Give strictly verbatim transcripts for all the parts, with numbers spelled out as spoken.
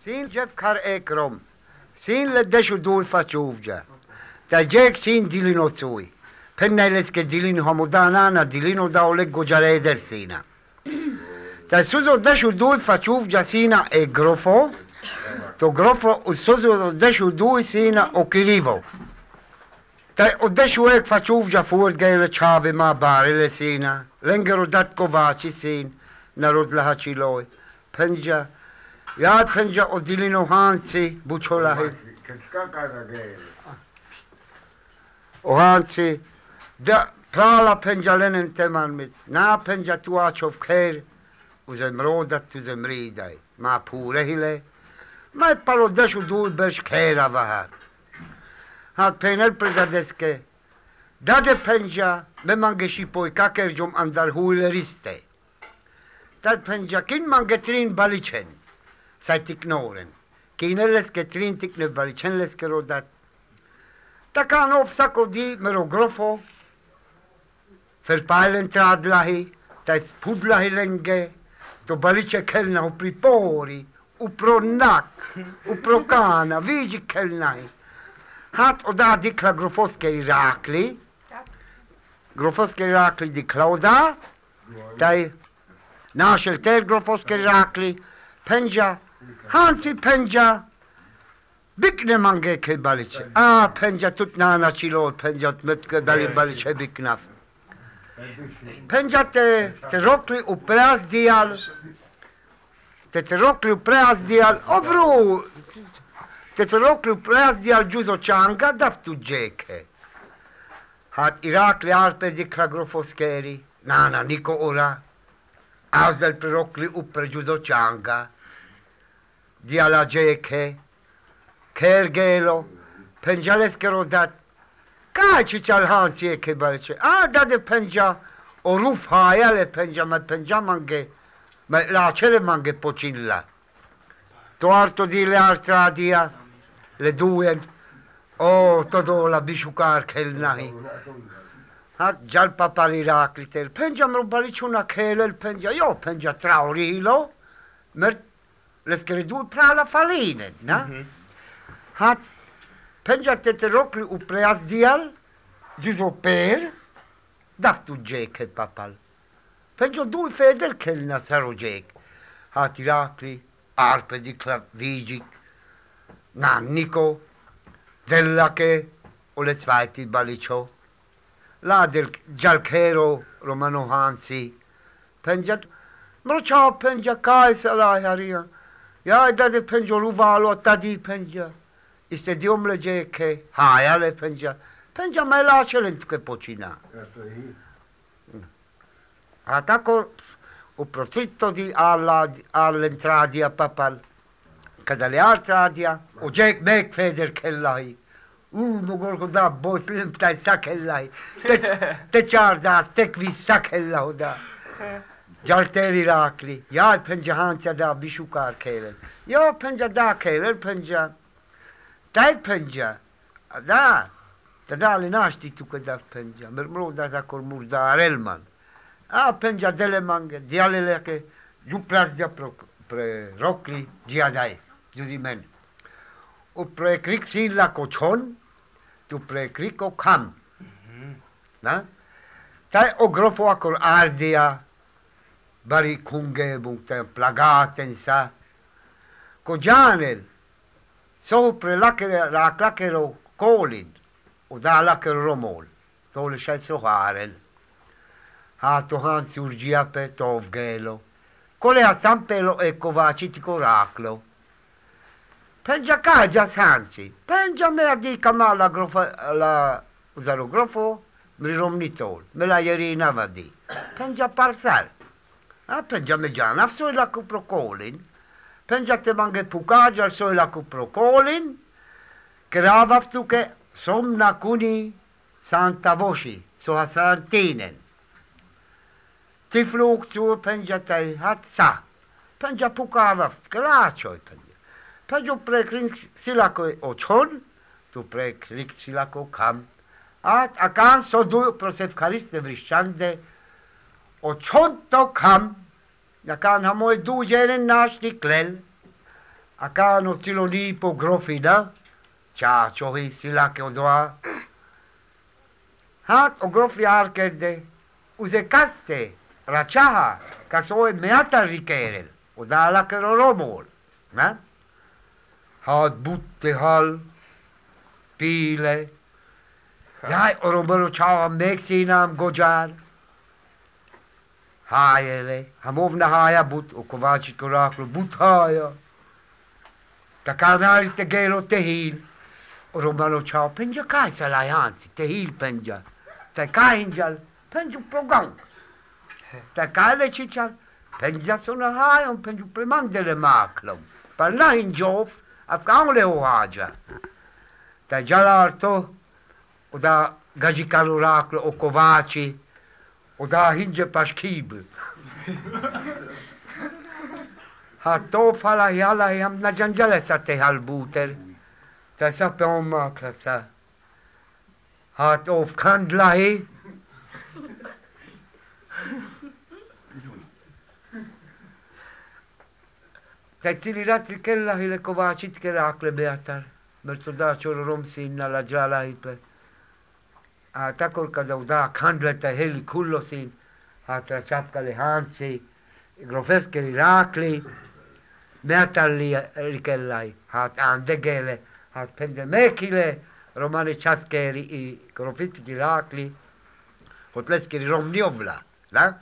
Sin Jeff kar ekrom. Sin le deshu dul facciuvgia. Da Jack sin dilino zui. Penneles che dilino hamudanana dilino da oleggo gialeder sina. Da suzo deshu dul facciuvgia sina e grofo. To grofo suzo deshu dul sina o kirivo. Da o deshu ek facciuvgia fuor gele chave ma barile sina. Lengero dat kovaci sin. Narod lahaci loi. Penja. Ja, penja o dilino hanci, bučolahi. O hanci, da prala penja lenen teman mit, na penja tuačov kher, uzem rodat, uzem ridaj, ma pure hile, ma palo deshu dul bež khera vahar. Hat penel predadeske, dade penja, me mangeshi poi kaker jom andar huile riste. Tad penja kin mangetrin balichen. Sai tiknoren. Kinelles che trin tikne balichenles che rodat. Takan of sako di mero grofo. Verpailen tradlahi. Tais pudlahi lenge. To baliche kelna u pripori. U pronak. U prokana. Vigi kelnahi. Hat oda dikla grofoske Irakli. Grofoske Irakli dikla oda. Tai našel ter grofoske Irakli. Penja. Hansi penja, bikne mange ke balice. Ah, penja tut nana chilo, penja tmetke dali balice biknaf. Penja te te rokli u preaz dial, te te rokli u preaz dial, ovru, te te rokli u preaz dial giuso changa daftu jeke. Hat Irakli arpe di kragrofoskeri, nana niko ora, azel pre rokli u pre giuso changa. Dia la jeke, kergelo, penjales che rodat, caci c'al hansi e che balce, ah dade penja, o ruf haia le penja, ma penja mange, ma la cele mange pocilla. Tuarto di le altra dia, le due, oh todo la bisciucar che il nahi. Ha già il papà Iraclite, penja mro balice una chele, il penja, io penja traurilo, mer les credu pra la faline, na? Mm-hmm. Hat penja tete rokli u preaz dial, giuso per, daftu jeke papal. Penja du feder kel nazaro jek. Hat Irakli, arpe di klavigik, nanniko, della che o le zweiti balicio. La del gialchero romano hansi. Penja, mrocia penja kai salai haria. Ja, dade penja ruvalo, tadi penja. Iste diomle jeke, hajale penja. Penja mai lacelent che pocina. A tako u profitto di alla all'entradia papal. Kada le altradia, u jek mek feder kellai. U mogorgo da boslim taj sakellai. Te te charda, tek vis sakella da. Jalter Irakli, ja penja hantia da bishukar kelen. Ja penja da kelen penja. Dai penja. Da. Da da li nashti tu ke da penja. Mermro da ta kor murda arelman. A penja dele mange, dialele ke ju plas dia pro pre rokli dia dai. Juzi men. U pre krik silla kochon, tu pre kriko kam. Na? Tai o grofo akor ardia. Bari kunge bukte plagaten sa. Ko janel. Sopra lakere la klakero kolin. O da lakero romol. Tole shai soharel. Ha to hansi urgia pe tov gelo. Kole a zampelo e kovaci ti coraclo. Penja kaja hansi. Penja me a di kamala grofo la uzaro grofo. Mi romnitol. Me la yerina vadi. Penja parsal. Ah, penja me giana, soi la cuprocolin. Penja te mange pucagia, soi la cuprocolin. Grava tu che somna cuni santa voci, so a santinen. Ti flug tu penja te hat sa. Penja pucava, gracio penja. Penja prekrin silako ochon, tu prekrin silako kam. At akan so du prosevkariste vrishande. O čonto kam, da kan hamoj dužeren naš tiklel, Acá stilo nipo grofina. Cha chohi sila ke ondoa. Hat o grofi arkerde. Uze kaste. Rachaha. Kasoe meata rikerel. O dala ke romol. Ne? Hat butte hal. Pile. Jaj, oromero čava meksinam gođar. Hajele, hamovna haja but, u kovačit koraklu but haja. Taka nariste gelo tehil. Oromero čava penja kaj sa lajansi, tehil penja. Ta kaj hinjal, penju progang. Ta kaj lečičal, penja sona haja, penju premangdele maklom. Pa na hinjov, afkan le ho haja. Ta jalarto, o da gađikalu raklo o kovači, o da hinđe paškibl. Ha to fala jala jam na džanđale sa te halbuter. Ta sa pe on makla sa. Ha to vkandlahi. Ta cili ratri kellahi le kovačitke rakle beatar. Mrto da čoro romsin na la džala ipe. A tako kada uda kandleta heli kullosin, a tra čapkali hansi, grofeskeli rakli, meatalli rikellai, hat andegele, hat pendemekile, romani časkeri i grofitki rakli, hotleskeri romniovla, da?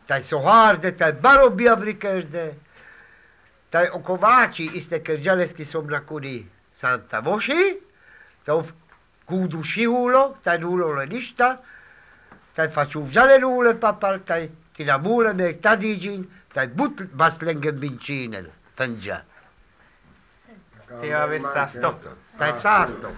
Taj soharde, taj baro biavrikerde, taj okovači iste kerđaleski somrakuni Santa Voši, taj Kudu šihulo, taj nulole ništa, taj facciu vžale nule papal, taj tinamule mek tadiđin, taj but baslengen vinčinel, penđa. Ti avis sasto. Taj sasto.